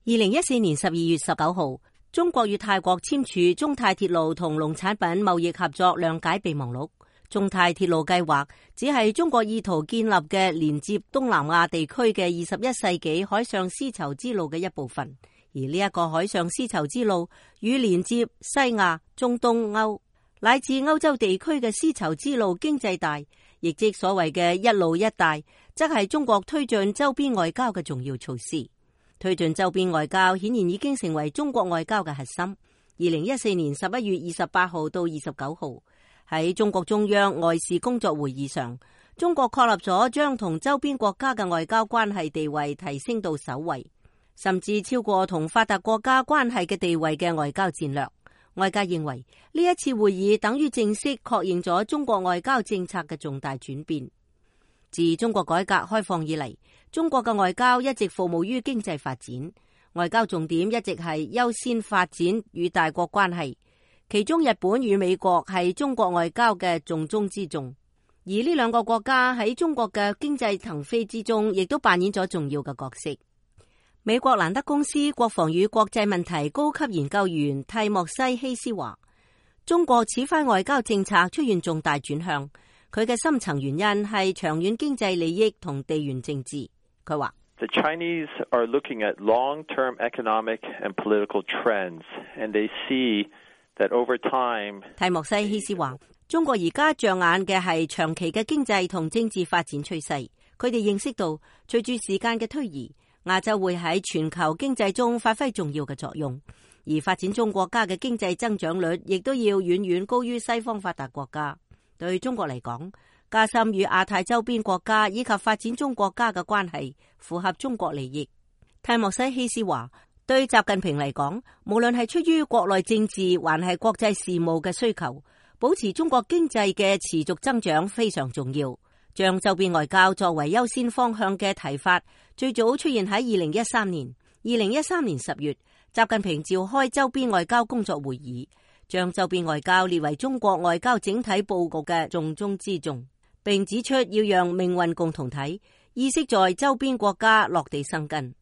2014年12月19號，中國與泰國簽署中泰鐵路同農產品貿易合作諒解備忘錄。中泰鐵路計劃只係中國意圖建立嘅連接東南亞地區嘅21世紀海上絲綢之路嘅一部分，而呢一個海上絲綢之路與連接西亞、中東歐乃至歐洲地區嘅絲綢之路經濟帶，亦即所謂嘅一路一帶，則係中國推進周邊外交嘅重要措施。推進周邊外交顯然已經成為中國外交嘅核心。2014年11月28號到29號，喺中國中央外事工作會議上，中國確立咗將同周邊國家嘅外交關係地位提升到首位，甚至超過同發達國家關係嘅地位嘅外交戰略。外界認為呢一次會議等於正式確認咗中國外交政策嘅重大轉變。自中國改革開放以嚟，中國嘅外交一直服務於經濟發展，外交重點一直係優先發展與大國關係，其中日本與美國係中國外交嘅重中之重，而呢兩個國家喺中國嘅經濟騰飛之中，亦都扮演咗重要嘅角色。美國蘭德公司國防與國際問題高級研究員蒂莫西希斯話，中國此番外交政策出現重大轉向，佢嘅深層原因係長遠經濟利益同地緣政治。佢話：The Chinese are looking at long-term economic and political trends, and they see that over time。蒂莫西希斯話，中國而家着眼嘅係長期嘅經濟同政治發展趨勢。佢哋認識到，隨住時間嘅推移，亞洲會喺全球經濟中發揮重要嘅作用，而發展中國家嘅經濟增長率亦都要遠遠高於西方發達國家。對中國嚟講，加深與亞太周邊國家以及發展中國家嘅關係，符合中國利益。蒂莫西希斯話，對習近平嚟講，無論係出於國內政治還係國際事務嘅需求，保持中國經濟嘅持續增長非常重要。將周邊外交作為優先方向嘅提法，最早出現喺2013年。2013年10月，習近平召開周邊外交工作會議，將周邊外交列為中國外交整體佈局嘅重中之重，並指出要讓命運共同體意識在周邊國家落地生根。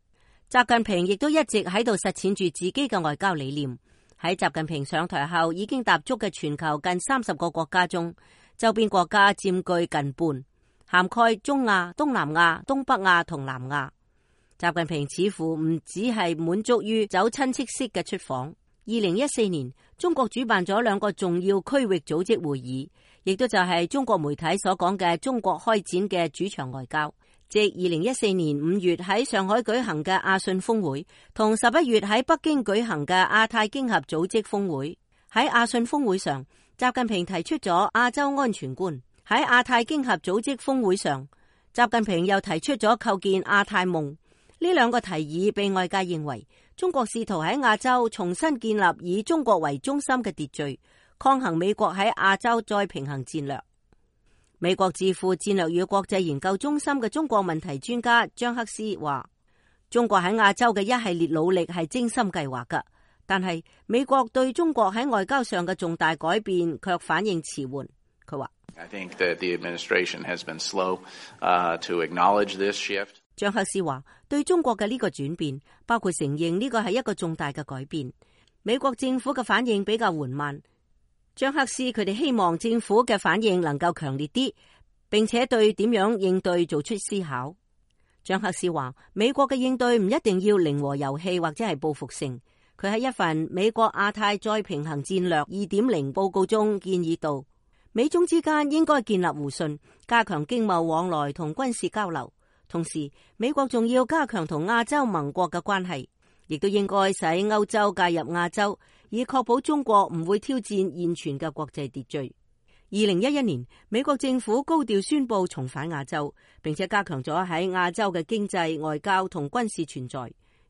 習近平亦都一直喺度實踐住自己嘅外交理念。喺習近平上台後，已經踏足嘅全球近30個國家中，周邊國家佔據近半，涵蓋中亞、東南亞、東北亞同南亞。習近平似乎唔只係滿足於走親戚式嘅出訪。2014年，中國主辦咗2個重要區域組織會議，亦都就係中國媒體所講嘅中國開展嘅主場外交，即2014年5月喺上海舉行嘅亞信峰會，同11月喺北京舉行嘅亞太經合組織峰會。喺亞信峰會上，習近平提出咗亞洲安全觀；喺亞太經合組織峰會上，習近平又提出咗構建亞太夢。呢2個提議被外界認為中國試圖喺亞洲重新建立以中國為中心嘅秩序，抗衡美國喺亞洲再平衡戰略。美國智庫戰略與國際研究中心嘅中國問題專家張克斯話，中國喺亞洲嘅一系列努力係精心計劃㗎，但係美國對中國喺外交上嘅重大改變卻反應遲緩。佢話I think that the administration has been slow to acknowledge this shift。張克斯話，對中國嘅呢個轉變，包括承認呢個係一個重大嘅改變，美國政府嘅反應比較緩慢。張克斯佢哋希望政府嘅反應能夠強烈啲，並且對點樣應對做出思考。張克斯話，美國嘅應對唔一定要零和遊戲或者係報復性。佢喺一份美國亞太再平衡戰略 2.0 報告中建議到，美中之間應該建立互信，加強經貿往來同軍事交流。同時，美國仲要加強同亞洲盟國嘅關係，亦都應該使歐洲介入亞洲，以確保中國唔會挑戰現存嘅國際秩序。2011年，美國政府高調宣布重返亞洲，並且加強咗喺亞洲嘅經濟、外交同軍事存在。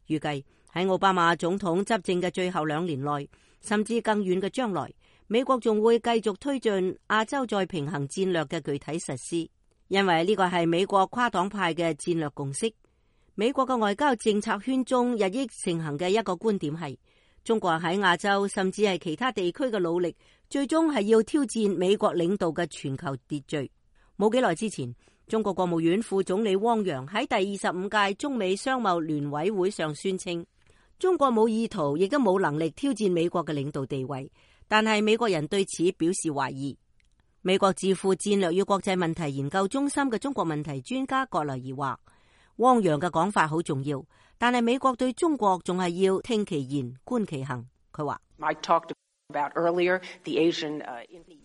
預計喺奧巴馬總統執政嘅最後2年內，甚至更遠嘅將來，美國仲會繼續推進亞洲再平衡戰略嘅具體實施。因為呢個係美國跨黨派嘅戰略共識。美國嘅外交政策圈中日益盛行嘅一個觀點係，中國喺亞洲甚至係其他地區嘅努力，最終係要挑戰美國領導嘅全球秩序。冇幾耐之前，中國國務院副總理汪洋喺第25屆中美商貿聯委會上宣稱，中國冇意圖，亦都冇能力挑戰美國嘅領導地位，但係美國人對此表示懷疑。美國智庫戰略與國際問題研究中心嘅中國問題專家葛萊儀話，汪洋嘅講法好重要，但係美國對中國仲係要聽其言觀其行。佢話，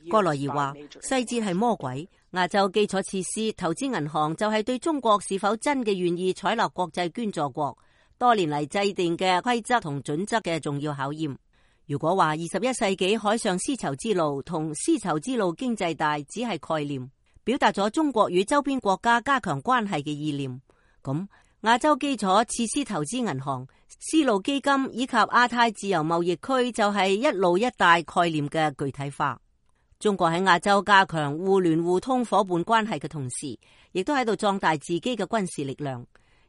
葛萊儀話，細節係魔鬼。亞洲基礎設施投資銀行就係對中國是否真嘅願意採納國際捐助國多年嚟制定嘅規則同準則嘅重要考驗。如果話21世紀海上絲綢之路同絲綢之路經濟帶只係概念，表達咗中國與周邊國家加強關係嘅意念，咁亞洲基礎設施投資銀行、絲路基金以及亞太自由貿易區就係一路一帶概念嘅具體化。中國喺亞洲加強互聯互通夥伴關係嘅同時，亦都喺度壯大自己嘅軍事力量。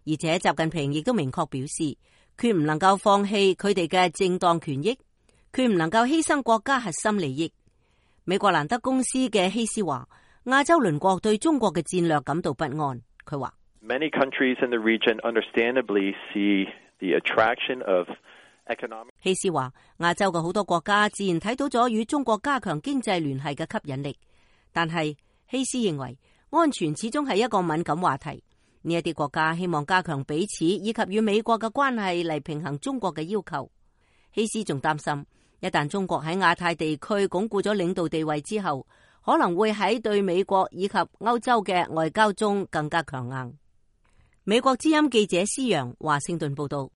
而且習近平亦都明確表示，決唔能夠放棄佢哋嘅正當權益，決唔能夠犧牲國家核心利益。美國蘭德公司嘅希斯話，亞洲鄰國對中國嘅戰略感到不安。佢話， Many countries in the region understandably see the attraction of economic。希斯話，亞洲嘅好多國家自然睇到咗與中國加強經濟聯繫嘅吸引力，但係希斯認為安全始終係一個敏感話題。呢一啲國家希望加強彼此以及與美國嘅關係嚟平衡中國嘅要求。希斯仲擔心，一旦中國喺亞太地區鞏固咗領導地位之後，可能會喺對美國以及歐洲嘅外交中更加強硬。美國之音記者施洋華盛頓報道。